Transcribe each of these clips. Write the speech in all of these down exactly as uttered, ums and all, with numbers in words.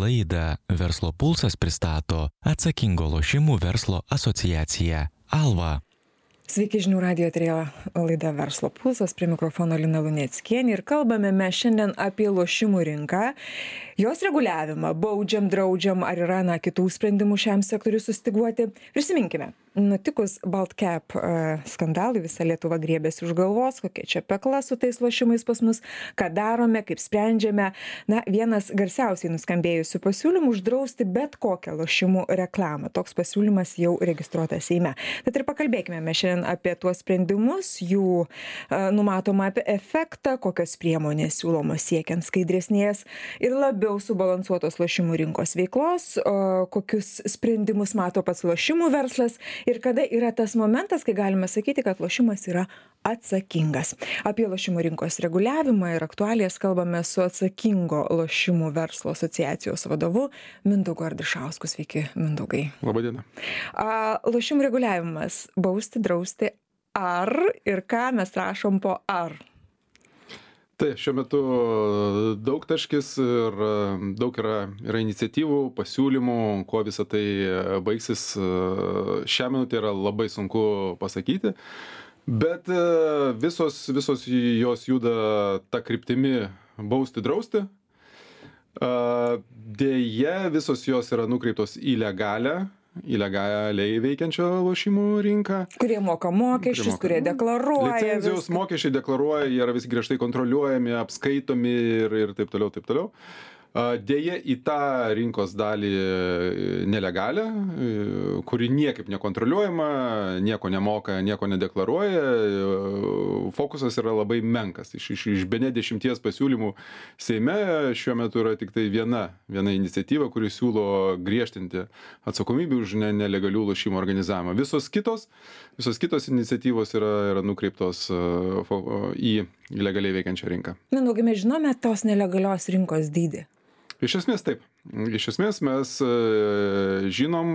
Laidą Verslo pulsas pristato Atsakingo lošimų verslo asociacija Alva. Sveiki, žinių radijo eteryje laida Verslo pulsas, prie mikrofono Lina Luneckienė ir kalbame mes šiandien apie lošimų rinką, jos reguliavimą, baudžiam, draudžiam, ar yra na, kitų sprendimų šiam sektoriui sustyguoti. Prisiminkime, nutikus Baltcap uh, skandalui visa Lietuva griebėsi už galvos, kokia čia pekla su tais lošimais pas mus, ką darome, kaip sprendžiame. Na, vienas garsiausiai nuskambėjusių pasiūlymų uždrausti bet kokią lošimų reklamą. Toks pasiūlymas jau registruotas Seime. Tad ir pakalbėkime mes šiandien apie tuos sprendimus, jų uh, numatomą efektą, kokios priemonės siūlomos siekiant skaidresnės ir labiau subalansuotos lošimų rinkos veiklos, uh, kokius sprendimus mato pats lošimų verslas ir kada yra tas momentas, kai galime sakyti, kad lošimas yra atsakingas. Apie lošimų rinkos reguliavimą ir aktualijas kalbame su Atsakingo lošimų verslo asociacijos vadovu Mindaugu Ardišausku. Sveiki, Mindaugai. Labadiena. Uh, lošimų reguliavimas - bausti, drausti ar ir ką mes rašom po ar? Tai šiuo metu daug taškis ir daug yra, yra iniciatyvų, pasiūlymų, kuo visą tai baigsis. Šią minutę yra labai sunku pasakyti, bet visos, visos jos juda ta kryptimi bausti, drausti. Deja, visos jos yra nukreiptos į legalią, ilegaliai veikiančią lošimų rinką. Kurie moka mokesčius, moka, kurie deklaruoja. Licenzijos viską. Mokesčiai deklaruoja, jie yra vis griežtai kontroliuojami, apskaitomi ir, ir taip toliau, taip toliau. Deja, į tą rinkos dalį nelegalią, kuri niekaip nekontroliuojama, nieko nemoka, nieko nedeklaruoja, fokusas yra labai menkas. Iš, iš, iš bene dešimties pasiūlymų Seime šiuo metu yra tik tai viena, viena iniciatyva, kuri siūlo griežtinti atsakomybę už ne, nelegalių lošimų organizavimą. Visos kitos, visos kitos iniciatyvos yra, yra nukreiptos į legaliai veikiančią rinką. Mindaugai, mes žinome tos nelegalios rinkos dydį. Iš esmės taip. Iš esmės mes žinom,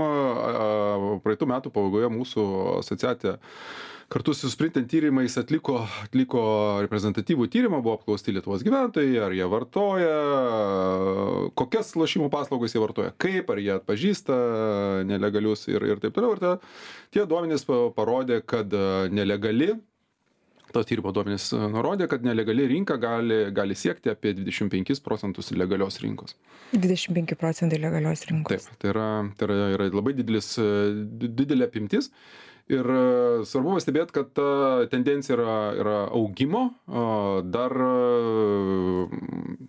praeitų metų pabaigoje mūsų asociacija kartu su Sprintent tyrimais atliko, atliko reprezentatyvų tyrimą, buvo apklausti Lietuvos gyventojai, ar jie vartoja, kokias lošimų paslaugas jie vartoja, kaip, ar jie atpažįsta nelegalius ir, ir taip toliau. Ir ta, tie duomenys parodė, kad nelegali, to tyrimo duomenys nurodė, kad nelegali rinka gali, gali siekti apie dvidešimt penkis procentus legalios rinkos. dvidešimt penki procentai legalios rinkos. Taip, tai yra, tai yra, yra labai didelis, didelė apimtis. Ir svarbu pastebėti, kad ta tendencija yra, yra augimo. Dar,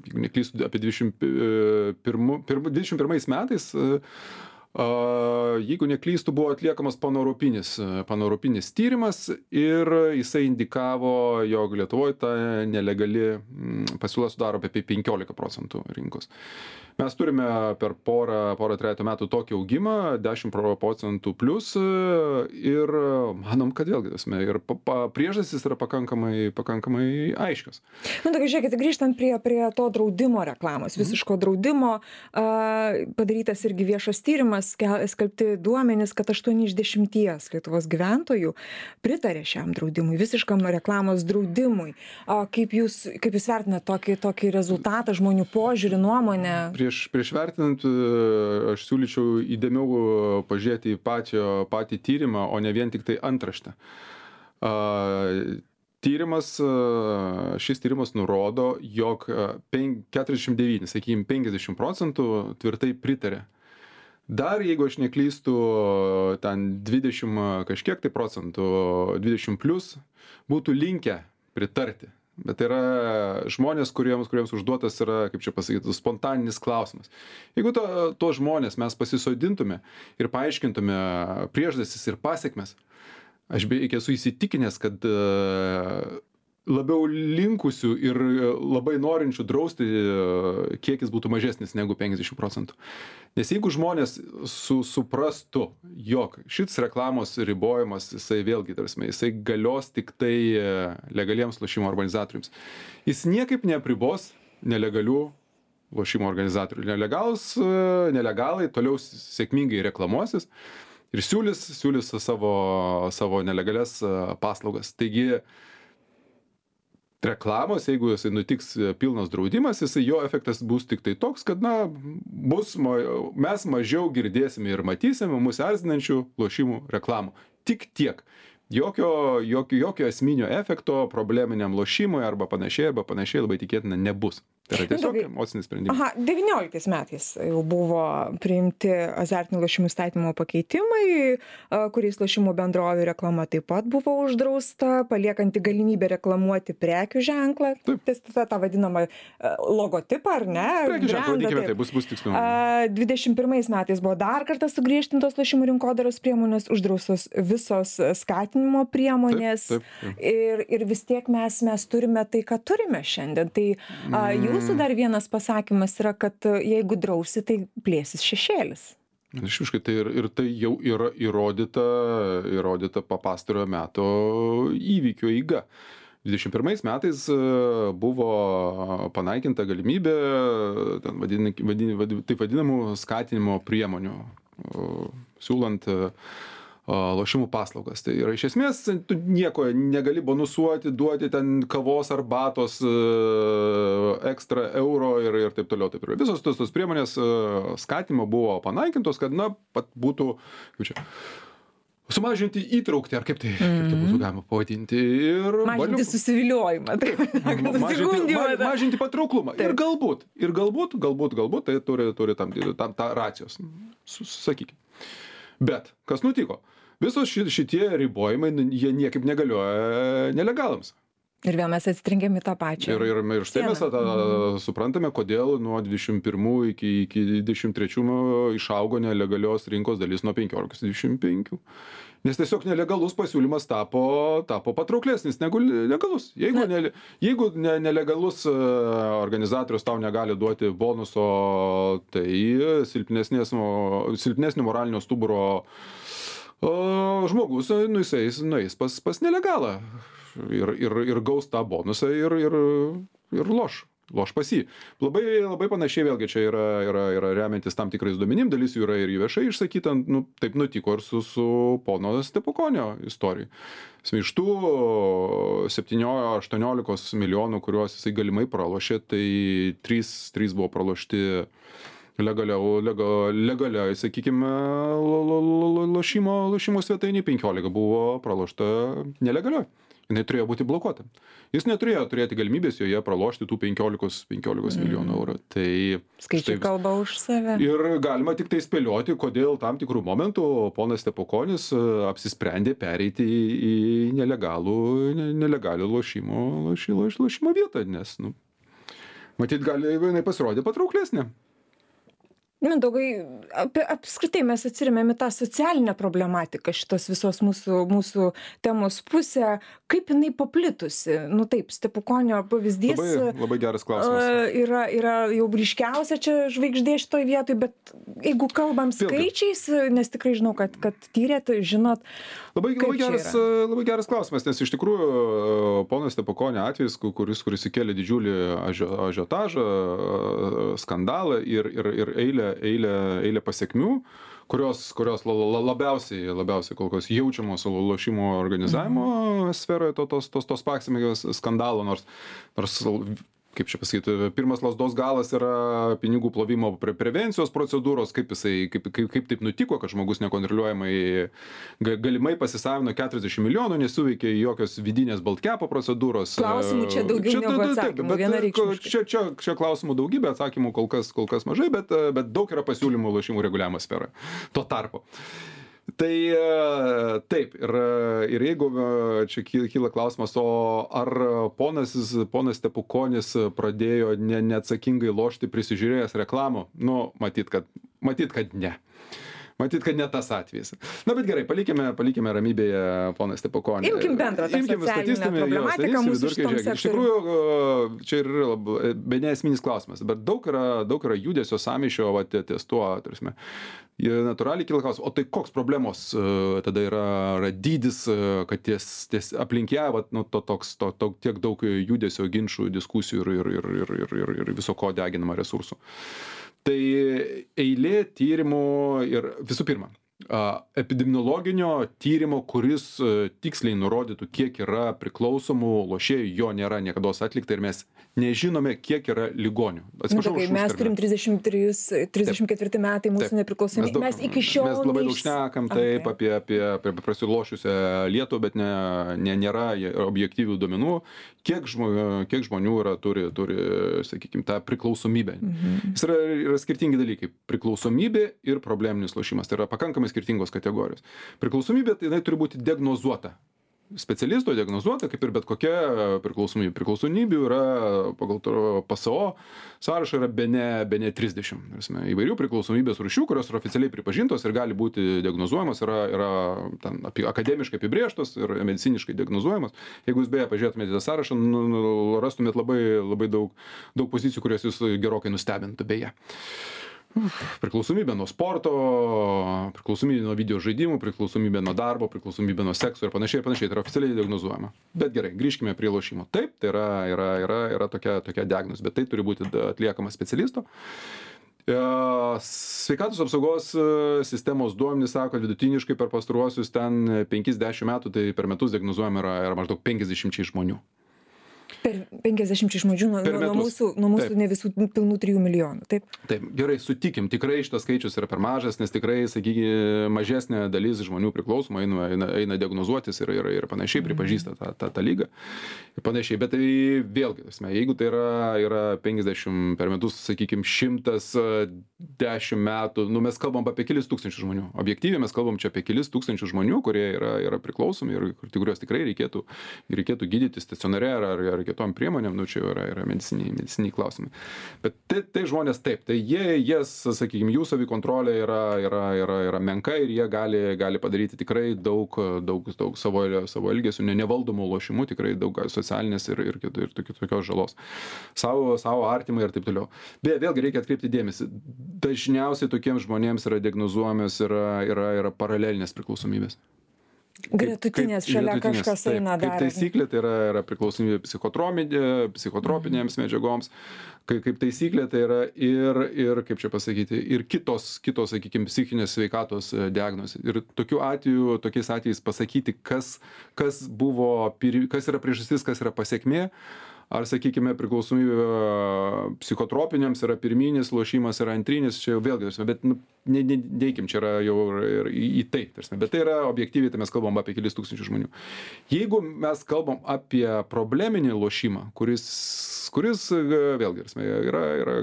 jeigu neklystu, apie dvidešimt pirmais metais, jeigu neklystu, buvo atliekamas paneuropinis, paneuropinis tyrimas ir jisai indikavo, jog Lietuvoje ta nelegali pasiūla sudaro apie penkiolika procentų rinkos. Mes turime per porą, porą trejetą metų tokį augimą, dešimt procentų plus ir manom, kad vėlgi, ir priežastys yra pakankamai, pakankamai aiškios. Nu, tai žiūrėkit, grįžtant prie, prie to draudimo reklamos, visiško draudimo, a, padarytas irgi viešas tyrimas, skelbti duomenys, kad aštuoni iš dešimties Lietuvos gyventojų pritarė šiam draudimui, visiškam reklamos draudimui. A, kaip jūs, kaip jūs vertinate tokį, tokį rezultatą, žmonių požiūrį, nuomonę? Prieš, prieš vertinant, aš siūlyčiau įdėmiau pažiūrėti į pačio, patį tyrimą, o ne vien tik tai antraštę. Tyrimas, šis tyrimas nurodo, jog keturiasdešimt devyni, sakykime, penkiasdešimt procentų tvirtai pritarė. Dar, jeigu aš neklystu, ten dvidešimt kažkiek tai procentų, dvidešimt plus, būtų linkę pritarti. Bet tai yra žmonės, kuriems, kuriems užduotas yra, kaip čia pasakyti, spontaninis klausimas. Jeigu to, to žmonės mes pasisodintume ir paaiškintume priežastis ir pasiekmes, aš beveik esu įsitikinęs, kad labiau linkusių ir labai norinčių drausti kiekis būtų mažesnis negu penkiasdešimt procentų. Nes jeigu žmonės su, suprastų, jog šis reklamos ribojimas, jisai vėlgi, tarsi, jisai galios tik tai legaliems lošimo organizatoriams. Jis niekaip neapribos nelegalių lošimo organizatorių. Nelegalus, nelegalai toliau sėkmingai reklamuosis ir siūlys, siūlys savo, savo nelegalias paslaugas. Taigi, reklamos, jeigu jisai nutiks pilnas draudimas, jisai jo efektas bus tik tai toks, kad, na, bus, mes mažiau girdėsime ir matysime mūsų erzinančių lošimų reklamų. Tik tiek. Jokio, jokio, jokio esminio efekto probleminiam lošimui arba panašiai, arba panašiai labai tikėtina nebus. Tai yra tiesiog emocinis sprendimas. Aha, devynioliktais metais jau buvo priimti azartinių lošimų įstatymo pakeitimai, kuriais lošimų bendrovių reklama taip pat buvo uždrausta, paliekanti galimybę reklamuoti prekių ženklą, tą, tą vadinamą logotipą, ar ne? Prekių ženklą, vadykime, tai bus, bus tiksliau. dvidešimt pirmais metais buvo dar kartą sugriežtintos lošimų rinkodaros priemonės, uždraustos visos skatinimo priemonės. Taip, taip, taip. Ir, ir vis tiek mes, mes turime tai, ką turime šiandien. Tai a, jūsų dar vienas pasakymas yra, kad jeigu drausi, tai plėsis šešėlis. Išviškai, tai ir, ir tai jau yra įrodyta, įrodyta pastarojo meto įvykio eiga. dvidešimt pirmais metais buvo panaikinta galimybė vadin, vadin, vadin, taip vadinamų skatinimo priemonių, siūlant lošimų paslaugas. Tai yra iš esmės, tu nieko negali bonusuoti, duoti ten kavos arbatos ekstra euro ir, ir taip toliau. Taip toliau. Visos tos, tos priemonės skatinimo buvo panaikintos, kad, na, pat būtų, kaip čia, sumažinti įtraukti, ar kaip tai, mm-hmm. kaip tai būtų galima pavadinti. Ir mažinti valiu... susiviliojimą. Taip. mažinti, ma, mažinti patrauklumą. Taip. Ir galbūt, ir galbūt, galbūt, galbūt, tai turi, turi tam, tam tą racijos, sakykime. Bet, kas nutiko? Visos šitie ribojimai, jie niekaip negalioja nelegalams. Ir vėl mes atsitrengiam į tą pačią. Ir, ir, ir štai mes tą, mm. suprantame, kodėl nuo dvidešimt pirmų iki, iki dvidešimt trečių išaugo nelegalios rinkos dalis nuo penkiolikos iki dvidešimt penkių. Nes tiesiog nelegalus pasiūlymas tapo, tapo patrauklesnis negu legalus. Jeigu, ne, jeigu ne, nelegalus organizatorius tau negali duoti bonuso, tai silpnesnio moralinio stuburo o, žmogus, nu, jisai nueis pas, pas nelegalą ir, ir, ir gaus tą bonusą ir, ir, ir loš. Loš pas jį. Labai, labai panašiai vėlgi čia yra, yra, yra remiantis tam tikrais duomenim, dalis jų yra ir viešai išsakyta, nu, taip nutiko ir su, su pono Stepukonio istorija. Iš tų septyniolika aštuoniolika milijonų, kuriuos jisai galimai pralošė, tai trys buvo pralošti legaliau, legal, legaliai, sakykime, lo, lo, lo, lošimo, lošimo svetainį, penkiolika buvo pralošta nelegaliai. Jinai turėjo būti blokuota. Jis neturėjo turėti galimybės joje pralošti tų penkiolikos mm. milijonų eurų. Tai skaičiai štai, kalba už save. Ir galima tik tai spėlioti, kodėl tam tikrų momentų ponas Stepukonis apsisprendė pereiti į, į nelegalų, nelegalių lošimo, lošimo, lošimo vietą, nes, nu, matyt, gali jinai pasirodė patrauklesnė. Mindaugai, apie, apskritai mes atsiremėm į tą socialinę problematiką šitos visos mūsų, mūsų temos pusę. Kaip jinai paplitusi? Nu taip, Stepukonio pavyzdys labai, labai geras klausimas. Yra, yra jau ryškiausia čia žvaigždė šitoj vietoj, bet jeigu kalbam skaičiais, nes tikrai žinau, kad, kad tyrėt, žinot. Labai, labai, geras, labai geras klausimas, nes iš tikrųjų ponas Stepukonio atvejis, kuris, kuris įkėlė didžiulį ažiotažą, skandalą ir, ir, ir eilę eilę, eilę pasiekmių, kurios, kurios labiausiai, labiausiai kol kas jaučiamos lošimo organizavimo mm-hmm. sferoje to, tos, tos, tos paksimės skandalo, nors, nors kaip čia pasakyti, pirmas lazdos galas yra pinigų plovimo pre prevencijos procedūros, kaip, jisai, kaip, kaip, kaip taip nutiko, kad žmogus nekontroliuojamai galimai pasisavino keturiasdešimt milijonų, nesuveikė jokios vidinės baltkepo procedūros. Klausimų čia daugiau čia, negu atsakymų, vienareikšmiškai. Čia, čia, čia klausimų daugybė, atsakymų kol kas, kol kas mažai, bet, bet daug yra pasiūlymų lošimų reguliavimo sferoje. Tuo tarpu. Tai taip, ir, ir jeigu čia kyla klausimas, o ar ponas, ponas Stepukonis pradėjo ne, neatsakingai lošti prisižiūrėjęs reklamų? Nu, matyt, kad, matyt, kad ne. Matyt, kad ne tas atvejis. Na, bet gerai, palikime, palikime ramybėje poną Stepukonį. Imkim bendrą tą socialinę problematiką mūsų šitam sektoriui. Iš tikrųjų, čia yra be neesminis klausimas, bet daug yra, daug yra judesio sąmyšio va, ties tuo, tarsi. Natūraliai kyla klausimas, o tai koks problemos tada yra, yra dydis, kad ties, ties aplink ją, va, nu, to, toks, to, to, tiek daug judesio, ginčų, diskusijų ir, ir, ir, ir, ir, ir viso ko deginama resursų. Tai eilė tyrimų ir visų pirma, a, epidemiologinio tyrimo, kuris a, tiksliai nurodytų, kiek yra priklausomų lošėjų, jo nėra niekados atlikta ir mes nežinome, kiek yra ligonių. Atsiprašau, nu, mes turim trisdešimt trys, trisdešimt ketvirti metai mūsų nepriklausomybė. Mes, mes iki šiol... Mes labai daug šnekam taip okay. apie, apie, apie prasilošiusią Lietuvą, bet ne, ne, nėra objektyvių duomenų, kiek, žmo, kiek žmonių yra, turi, turi sakykime, tą priklausomybę. Mhm. Jis yra, yra skirtingi dalykai. Priklausomybė ir probleminis lošimas. Tai yra pakankamai skirtingos kategorijos. Priklausomybė tai jinai turi būti diagnozuota. Specialisto diagnozuota, kaip ir bet kokia priklausomybė. Priklausomybių yra pagal P S O sąrašą yra bene, bene trisdešimt. Įvairių priklausomybės rūšių, kurios yra oficialiai pripažintos ir gali būti diagnozuojamos, yra, yra ten, apie, akademiškai apibrėžtos ir mediciniškai diagnozuojamos. Jeigu jūs beje pažiūrėtumėte tą sąrašą, nu, rastumėt labai, labai daug, daug pozicijų, kurios jūs gerokai nustebintų beje. Priklausomybė nuo sporto, priklausomybė nuo video žaidimų, priklausomybė nuo darbo, priklausomybė nuo sekso ir panašiai ir panašiai. Tai yra oficialiai diagnozuojama. Bet gerai, grįžkime prie lošimo. Taip, tai yra, yra, yra, yra tokia, tokia diagnozė, bet tai turi būti atliekama specialisto. Sveikatos apsaugos sistemos duomenys sako, kad vidutiniškai per pastaruosius ten penkiasdešimt metų, tai per metus diagnozuojama yra, yra maždaug penkiasdešimt žmonių. Per penkiasdešimt žmonių nuo, nuo mūsų, nuo mūsų ne visų pilnų trijų milijonų, taip? Taip, gerai, sutikim, tikrai šitas skaičius yra per mažas, nes tikrai, sakykime, mažesnė dalis žmonių priklausoma eina, eina, eina diagnozuotis ir, ir, ir panašiai, pripažįsta tą, tą, tą lygą ir panašiai, bet tai vėlgi, jeigu tai yra, yra penkiasdešimt per metus, sakykime, šimtas dešimt metų, nu mes kalbam apie kelis tūkstančių žmonių, objektyviai mes kalbam čia apie kelis tūkstančių žmonių, kurie yra, yra priklausomi ir kuriuos tikrai reikėtų, reikėtų gydyti stacionare ar, ar, ar kitom priemonėm, nu čia yra, yra mediciniai, mediciniai klausimai. Bet tai, tai žmonės taip, tai jie, jas, sakykime, jų savikontrolė yra, yra, yra, yra menka ir jie gali, gali padaryti tikrai daug, daug, daug savo, savo elgesių, ne, nevaldomų lošimų, tikrai daug socialinės ir, ir, ir, ir tokios žalos. Savo, savo artimai ir taip toliau. Beje, vėlgi reikia atkreipti dėmesį. Dažniausiai tokiems žmonėms yra diagnozuojamas yra, yra, yra paralelinės priklausomybės. Gretutinės šalia gretutinės, kažkas taip, eina dar. Kaip taisyklė, tai yra, yra priklausomybė psichotropinėms mm. medžiagoms, kaip, kaip taisyklė tai yra ir, ir, kaip čia pasakyti, ir kitos, kitos sakykime, psichinės sveikatos diagnozės. Ir tokiu atveju, tokiais atvejais pasakyti, kas, kas, buvo, kas yra priežastis, kas yra pasekmė, ar, sakykime, priklausomybė psichotropiniams yra pirminis lošimas, yra antrinis, čia jau vėlgi, bet nu, ne, ne, neikim, čia yra jau ir į, į tai, tarsi, bet tai yra objektyviai, tai mes kalbam apie kelis tūkstančių žmonių. Jeigu mes kalbam apie probleminį lošimą, kuris, kuris vėlgi, yra, yra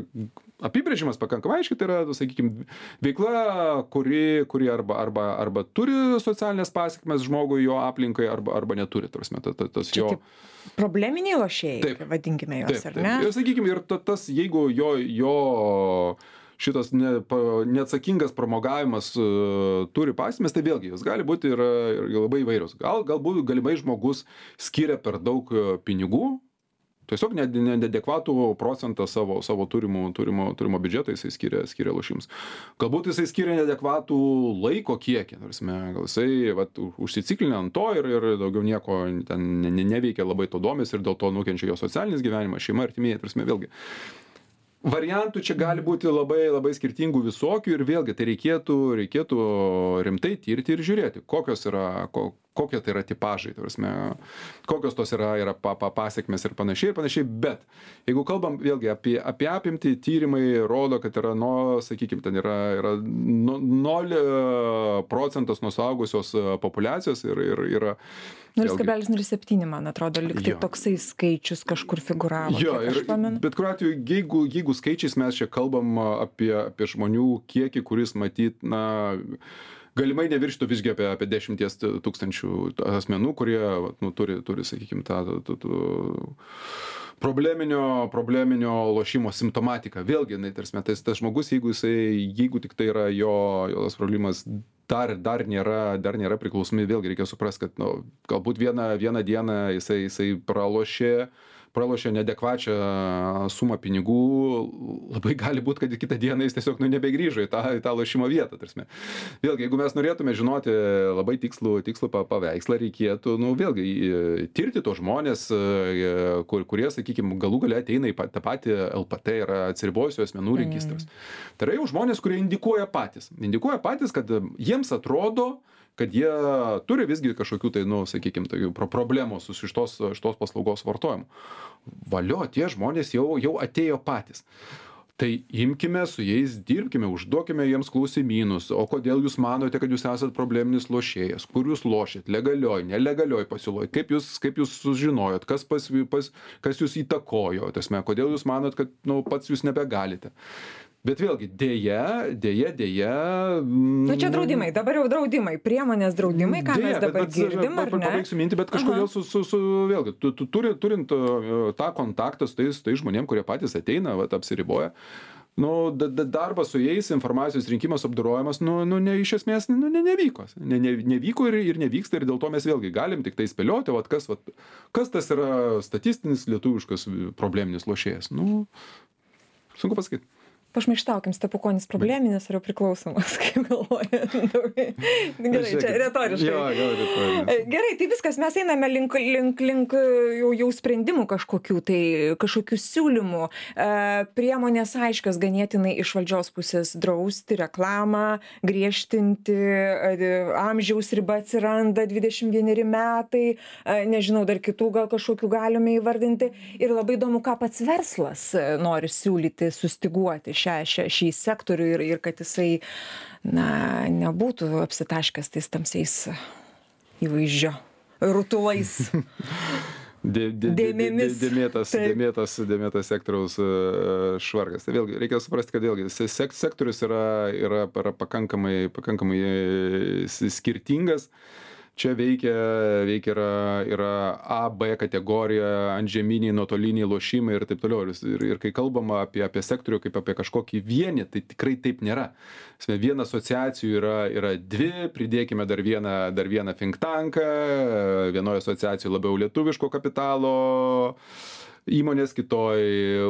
apibrėžimas pakankamai aiškiai, tai yra, sakykime, veikla, kuri, kuri arba, arba, arba turi socialinės pasekmes žmogui, jo aplinkai, arba, arba neturi, tarsi, tas, tas jo... Probleminiai lošėjai, taip, vadinkime juos, taip, ar ne? Ir sakykime, ir tas, jeigu jo, jo šitas ne, neatsakingas pramogavimas uh, turi pasekmes, tai vėlgi jis gali būti ir, ir labai įvairios. Gal, galbūt galimai žmogus skiria per daug pinigų, tiesiog neadekvatų procentą savo, savo turimų, turimo, turimo biudžeto jisai skiria, skiria lošims. Galbūt jisai skiria neadekvatų laiko kiekį, gal jisai vat, užsiciklinę ant to ir, ir daugiau nieko ten ne, ne, neveikia, labai to domis ir dėl to nukenčia jo socialinis gyvenimas, šeima, artimieji, tarsi vėlgi. Variantų čia gali būti labai, labai skirtingų visokių ir vėlgi tai reikėtų, reikėtų rimtai tirti ir žiūrėti, kokios yra, ko, kokie tai yra tipažai, tarsi, kokios tos yra, yra pa, pa, pasiekmes ir panašiai ir panašiai, bet jeigu kalbam vėlgi apie, apie apimtį, tyrimai rodo, kad yra, nu, sakykime, ten yra, yra nol procentas nuo suaugusios populiacijos ir, ir yra nulis kablelis nulis septyni, man atrodo, liktai toksai skaičius kažkur figuravo. Jo, ir, bet kuriuo atveju, jeigu, jeigu skaičiais mes čia kalbam apie, apie žmonių kiekį, kuris matyt, na, galimai nevirštų visgi apie, apie dešimties tūkstančių asmenų, kurie nu, turi, turi, sakykime, tą, tą, tą probleminio, probleminio lošimo simptomatiką. Vėlgi, tai, tarsi, tas, tas žmogus, jeigu, jisai, jeigu tik tai yra jo, jo tas problemas, dar, dar, nėra, dar nėra priklausomi, vėlgi reikia suprasti, kad nu, galbūt vieną, vieną dieną jisai, jisai pralošė, pralošia neadekvačią sumą pinigų, labai gali būti, kad kitą dieną jis tiesiog nu, nebegrįžo į tą, į tą lošimo vietą. Tarsi. Vėlgi, jeigu mes norėtume žinoti labai tikslų, tikslų paveikslą, reikėtų nu, vėlgi tirti tos žmonės, kur, kurie, sakykime, galų gale ateina į tą patį L P T, yra atsiribojusių asmenų registras. Mm. Tai yra jau žmonės, kurie indikuoja patys. Indikuoja patys, kad jiems atrodo, kad jie turi visgi kažkokių tai, nu, sakykime, tai problemų su šitos, šitos paslaugos vartojimu. Valio, tie žmonės jau, jau atėjo patys. Tai imkime su jais, dirbkime, užduokime jiems klausimynus, o kodėl jūs manote, kad jūs esat probleminis lošėjas, kur jūs lošėt, legalioj, nelegalioj pasiūloj, kaip jūs, kaip jūs sužinojot, kas, pas, pas, kas jūs įtakojo, tasme, kodėl jūs manot, kad nu, pats jūs nebegalite. Bet vėlgi, dėja, dėja, dėja... Nu čia draudimai, dabar jau draudimai, priemonės draudimai, ką dėja, mes dabar bet, bet, girdim, ar ne? Pabaigsiu mintį, bet kažkodėl su, su, su, vėlgi, tu, tu, turi, turint tą kontaktą su tais, tais žmonėm, kurie patys ateina, vat, apsiriboja, nu, da, da, darbas su jais, informacijos rinkimas, apdorojimas, nu, nu ne, iš esmės nu, ne, nevyko. Ne, ne, nevyko ir, ir nevyksta, ir dėl to mes vėlgi galim tik tai spėlioti, vat, kas, vat, kas tas yra statistinis lietuviškas probleminis lošėjas. Nu, sunku pasakyti. Pašmaištaukim, stepukonis probleminis ar jau priklausomas, kaip galvoja. Gerai, čia retoriškai. Jo, jo, retoriškai. Gerai, tai viskas, mes einame link, link, link jau, jau sprendimų kažkokių, tai kažkokių siūlymų. Priemonės aiškios ganėtinai iš valdžios pusės drausti reklamą, griežtinti, amžiaus riba atsiranda dvidešimt vieneri metai, nežinau, dar kitų gal kažkokių galime įvardinti. Ir labai įdomu, ką pats verslas nori siūlyti, sustiguoti šią, šią, šį sektorių ir, ir kad jisai na, nebūtų apsitaškęs tais tamsiais įvaizdžio rutulais. Dė, dė, dėmėmis. Dėmėtas, dėmėtas, dėmėtas sektoriaus švarkas. Tai vėlgi, reikia suprasti, kad vėlgi sek, sektorius yra, yra, yra pakankamai, pakankamai skirtingas. Čia veikia, veikia yra, yra A, B kategorija, antžeminiai, nuotoliniai lošimai ir taip toliau. Ir, ir kai kalbama apie, apie sektorių kaip apie kažkokį vienį, tai tikrai taip nėra. Viena asociacijų yra, yra dvi, pridėkime dar vieną, dar vieną think tanką, vienoje asociacijoje labiau lietuviško kapitalo įmonės, kitoj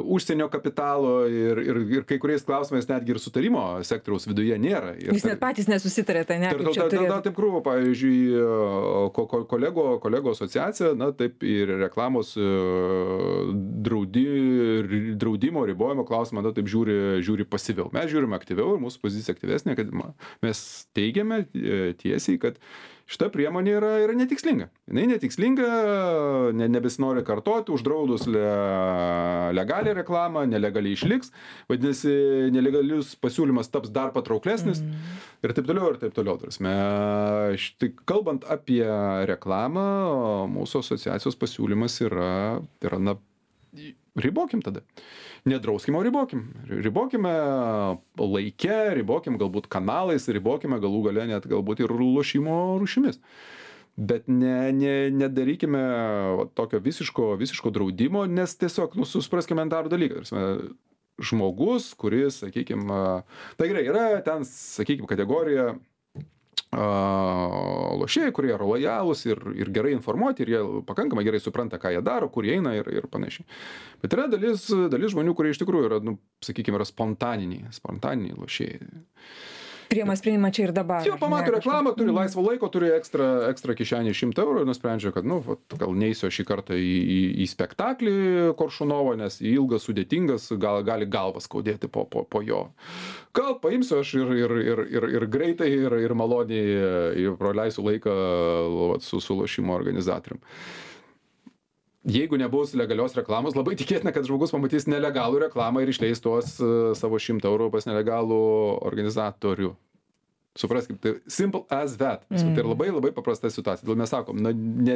užsienio kapitalo ir, ir, ir kai kuriais klausimais netgi ir sutarimo sektoriaus viduje nėra. Ir jūs net patys nesusitarėte, ne? Ir tada taip krūvo, pavyzdžiui, ko, ko, kolego, kolego asociacija, na taip ir reklamos draudi, draudimo, ribojimo klausimą, na taip žiūri, žiūri pasyviau. Mes žiūrime aktyviau ir mūsų pozicija aktyvesnė, kad mes teigiame tiesiai, kad šita priemonė yra, yra netikslinga. Jinai netikslinga, ne, nebesinori kartoti, uždraudus le, legalią reklamą, nelegaliai išliks, vadinasi, nelegalius pasiūlymas taps dar patrauklesnis mm. ir taip toliau, ir taip toliau. Tarasme, štai, kalbant apie reklamą, mūsų asociacijos pasiūlymas yra, yra na, ribokim tada. Nedrauskim, o ribokim. Ribokime laike, ribokim galbūt kanalais, ribokime galų gale net galbūt ir lošimo rūšimis. Bet ne, ne, nedarykime tokio visiško, visiško draudimo, nes tiesiog, nu, supraskime darų dalyką. Žmogus, kuris, sakykime, tai gerai, yra ten, sakykime, kategorija lošėjai, kurie yra lojalūs ir, ir gerai informuoti, ir jie pakankamai gerai supranta, ką jie daro, kur jie eina ir, ir panašiai. Bet yra dalis, dalis žmonių, kurie iš tikrųjų yra, nu, sakykime, yra spontaniniai, spontaniniai lošėjai. Priima sprendimą čia ir dabar. Jau pamato reklamą, turi laisvo laiko, turi ekstra, ekstra kišenį šimtą eurų ir nusprendžia, kad, nu, gal neįsiu šį kartą į, į, į spektaklį Koršunovo, nes ilgas, sudėtingas, gal, gali galvas skaudėti po, po, po jo. Gal paimsiu aš ir, ir, ir, ir, ir greitai, ir, ir maloniai praleisiu laiką su, su lošimo organizatorium. Jeigu nebus legalios reklamos, labai tikėtina, kad žmogus pamatys nelegalų reklamą ir išleis tuos savo šimtą eurų pas nelegalų organizatorių. Supraskime, tai simple as that. Mm. Tai labai labai paprasta situacija. Todėl mes sakom, na, ne,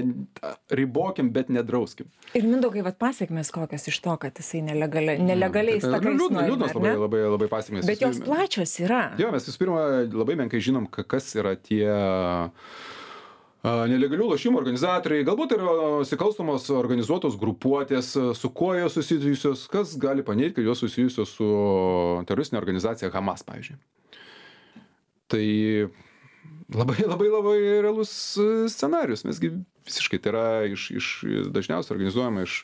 ribokim, bet nedrauskim. Ir Mindaugai, vat pasiekmes kokios iš to, kad jisai nelegaliai, nelegaliai mm. stakais liūdnas, nori, liūdnas labai, labai, labai pasiekmes. Bet jos plačios yra. Jo, mes visų pirma labai menkai žinom, kas yra tie nelegalių lošimų organizatoriai, galbūt yra nusikalstamos organizuotos grupuotės, su kuo jos susijusios, kas gali paneigti, kad jos susijusios su teroristinė organizacija Hamas, pavyzdžiui. Tai labai, labai, labai realus scenarius. Mesgi visiškai tai yra iš, iš dažniausiai organizuojama iš,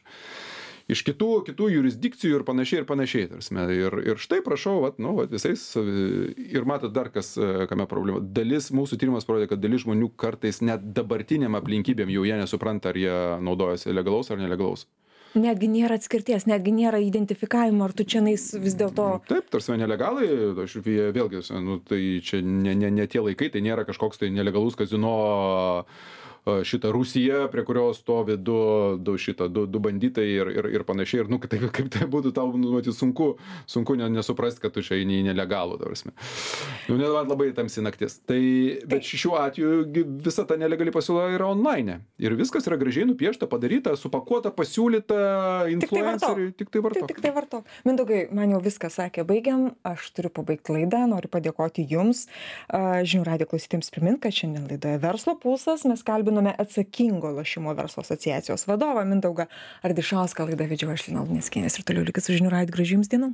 iš kitų, kitų jurisdikcijų ir panašiai ir panašiai. Tarsime. Ir, ir štai prašau, vat, nu, vat, visais, ir matot dar kas, kame problema. Dalis mūsų tyrimas parodė, kad dalis žmonių kartais net dabartiniam aplinkybėm jau jie nesupranta, ar jie naudojasi legalaus ar nelegalaus. Netgi nėra atskirties, netgi nėra identifikavimo, ar tu čia nais vis dėlto... Taip, tarsi nelegalai, aš vėlgi, nu, tai čia ne, ne, ne tie laikai, tai nėra kažkoks tai nelegalus kazino šitą Rusiją, prie kurios stovi du, du, šitą, du, du banditai ir, ir, ir panašiai. Ir, nu, kaip, kaip tai būtų tau, nu, sunku, sunku nesuprasti, kad tu čia eini į nelegalų, tarsi. Nu, net labai tamsi naktis. Tai, bet šiuo atveju visa ta nelegali pasiūla yra online. Ir viskas yra gražiai nupiešta, padaryta, supakuota, pasiūlyta influenceriui. Tik tai vartok. Tik tai vartok. Mindaugai, man jau viską sakė, baigiam. Aš turiu pabaigti laidą. Noriu padėkoti jums. Žinių radijo klausytėms primint, kad šiandien laidoje Verslo pulsas mes kalbinome atsakingo lošimo verslo asociacijos vadovą Mindaugą Ardišauską. Laidą vedžiau aš Lina Luneckienė ir toliau likit su Žinių radiju. Gražių jums dienų.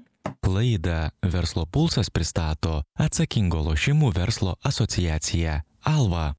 Laidą Verslo pulsas pristato atsakingo lošimų verslo asociacija Alva.